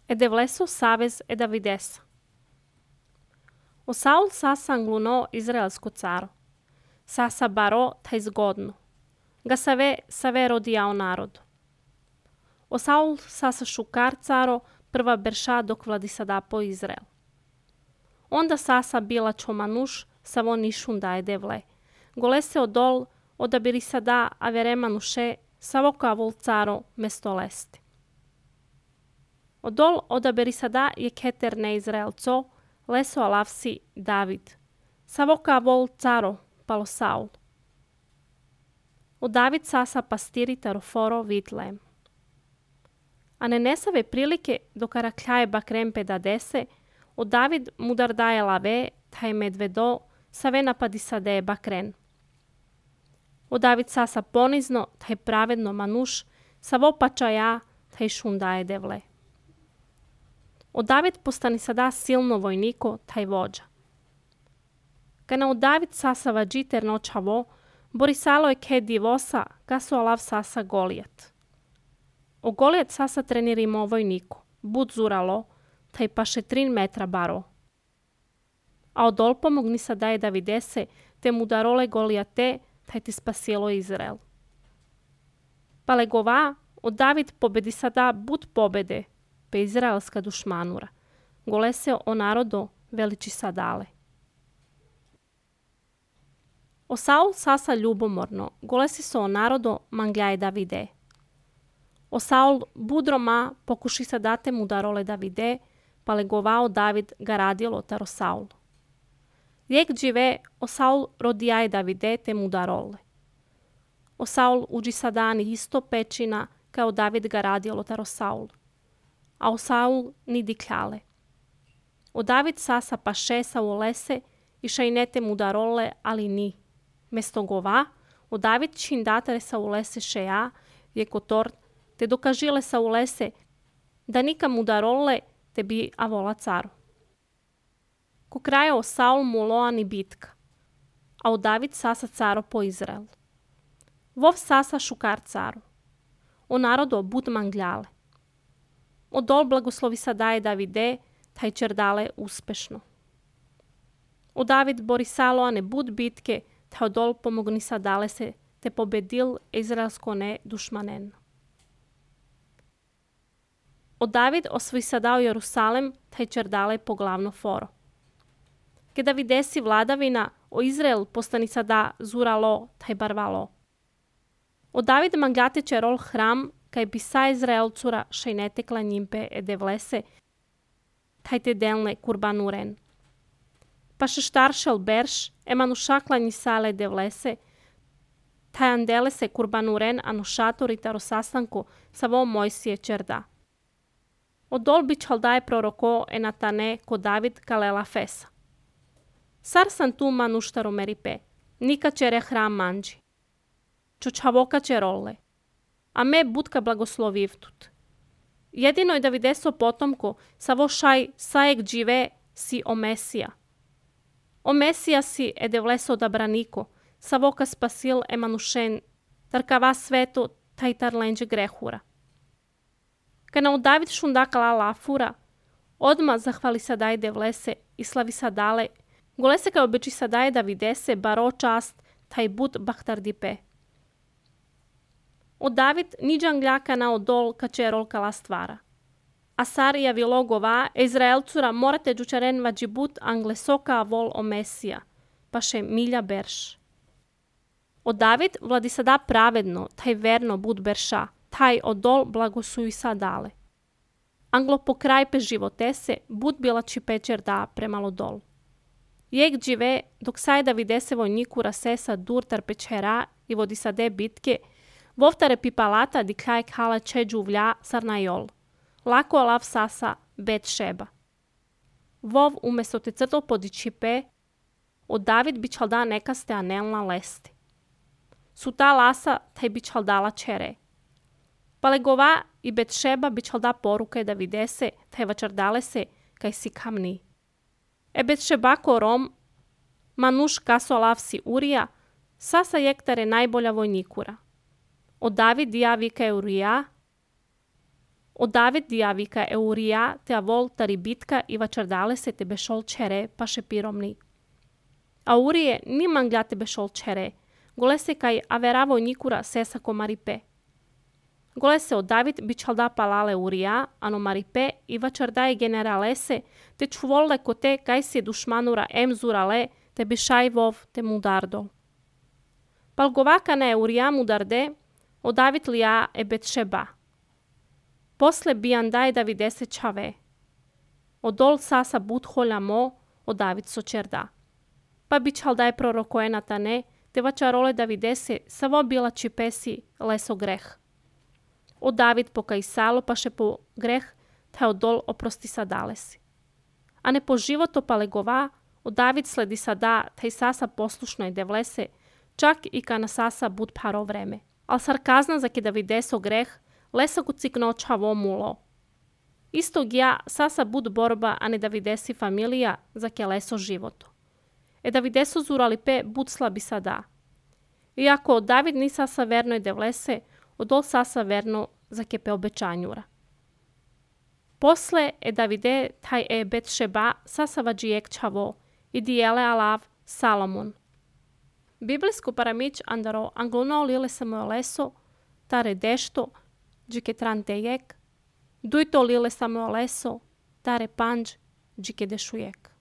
Edevleso savez e Davidesa. O Saul sasa angluno izraelsko caro. Sasa baro taj zgodno. Ga save rodijao narodu. O Saul sasa šukar caro prva berša dok vladi sada po Izrael. Onda sasa bila čomanuš savo nišun da edevle. Gole se odol odabiri sada averemanuše savo kavul caro mesto lesti. Odol odaberi sada je keter ne Izraelco, leso alavsi David. Savo kavul caro palo Saul. O David sasa pastiri taroforo Vitlem. A ne nesave prilike do karakljaje bakrempe da dese, o David mudar daje lave, taj medvedo, save napadi sade bakren. O David sasa ponizno, taj pravedno manuš, savo pačaja, taj šundaje devle. O David postani sada silno vojniko, taj vođa. Kana o David sasa vađiter noćavo, borisalo je ke divosa, kaso alav sasa Golijat. O Golijat sasa trenirimo vojniku, bud zuralo, taj paše 3 metra baro. A odol pomogni sada je Davidese, te mu darole Golijate, taj ti spasilo Izrael. Palegova, o David pobedi sada bud pobede, pe izraelska dušmanura. Golese o narodo veliči sadale. O Saul sasa ljubomorno, golesi so o narodo mangljaje Davide. O Saul budroma pokuši sadate mu darole Davide, palegovao David ga radilo taro Saul. Lijek džive o Saul rodijaje Davide te mu darole. O Saul uđi sadani isto pečina kao David ga radilo taro Saul. A o Saul ni dikljale. O David sasa pašesa u lese i šajnete mu darole, ali ni. Mesto gova, o David čindatare sa u lese šeja, je kotor, te dokažile sa u lese, da nikam mu darole te bi avola caru. Ko kraja o Saul mu loani bitka, a o David sasa caro po Izrael. Vov sasa šukar caru. O narodo bud mangljale. O dol blagoslovi sadaje Davide, taj čerdale uspešno. O David borisalo a ne bud bitke, taj odol pomogni sadale se, te pobedil izraelsko ne dušmanen. O David osvoji sadao Jerusalem, taj čerdale po glavno foro. Ke Davidesi vladavina, o Izrael postani sada zuralo, taj barvalo. O David manglate čerol hram, kaj bi sa Izraelcura šajnete klanjimpe edevlese, taj te delne kurbanuren. Pa še štaršel berš, emanu šaklanji sale edevlese, taj andele se kurbanuren anu šatori taro sastanku sa vo Mojsije čerda. O dolbi čaldaje proroko enatane ko David kalela fesa. Sar san tu manuštaro meripe, nika čere hram manđi. Čočavoka čerole. A me budka blagoslovivtut. Jedino je Davideso potomko, savo šaj sajek džive si o Mesija. O Mesija si edevleso odabraniko, savoka spasil emanušen, tarkava sveto taj tarlenđe grehura. Kana u David šundakala lafura, odma zahvali sadaj devlese i slavi sadale, golese kao beči sadaje Davidese baro čast taj bud bahtardipe. O David niđan gljaka na odol kačerol kala stvara. A Sarija vilogova, Izraelcura morate džučaren vađibut anglesoka vol o Mesija, pa še milja berš. O David vladi sada pravedno, taj verno bud berša, taj odol blagosuj sadale. Anglo pokrajpe životese, bud bila čipečer da premalo dol. Jek džive, dok saj Davidese vojniku rasesa dur tar pečera i vodi sade bitke, vovtare pipalata di kaj kala čeđu vlja sarnajol. Lako alav sasa bet šeba. Vov umesto te crtol podičipe, o David bi čalda nekaste anelna lesti. Su ta lasa taj bi čaldala čere. Palegova i bet šeba bi čalda poruke Davidese, taj vačardale se kaj si kamni. E bet šeba korom, manuš kaso alav si Urija, sasa jektare najbolja vojnikura. O David ja vika Urija, O David diavika Eurija te avol tari bitka i vachardale se te beshol chere pashe piromni. Aurie ni mangliate beshol chere, golese kai averavo nikura sesa ko maripe. Golese o David bichalda palale Urija, ano maripe i vachardae generalese, te čuvolle kote kai se dušmanura emzurale, te bišajvov te mudardo. Palgovaka ne Urija mudarde, o David lija e Betšeba. Posle biandaj Davidese čave. O dol sasa budholja mo, o David sočerda. Pa bičaldaj prorokoje Natane, te vačarole Davidese savo bila čipesi leso greh. O David pokajsalo paše po greh, te o dol oprosti sadalesi. A ne po životo palegova, o David sledi sada, te sasa poslušno i devlese, čak i kana sasa bud paro vreme. Al sarkazna za ke Davideso greh, lesa kucikno čavo mulo. Istog ja sasa bud borba, a ne Davidesi familija za ke leso životo. E Davideso zuralipe bud slabi sada. Iako David ni sasa verno i devlese, odol sasa verno za kepe obećanjura. Posle e Davide taj e Betšeba sasa vađijek čavo i dijele alav Salomon. Biblijsko paramić andaro anglono lile Samueleso, tare dešto, džike trantejek, dujto lile Samueleso, tare panđ, džike dešujek.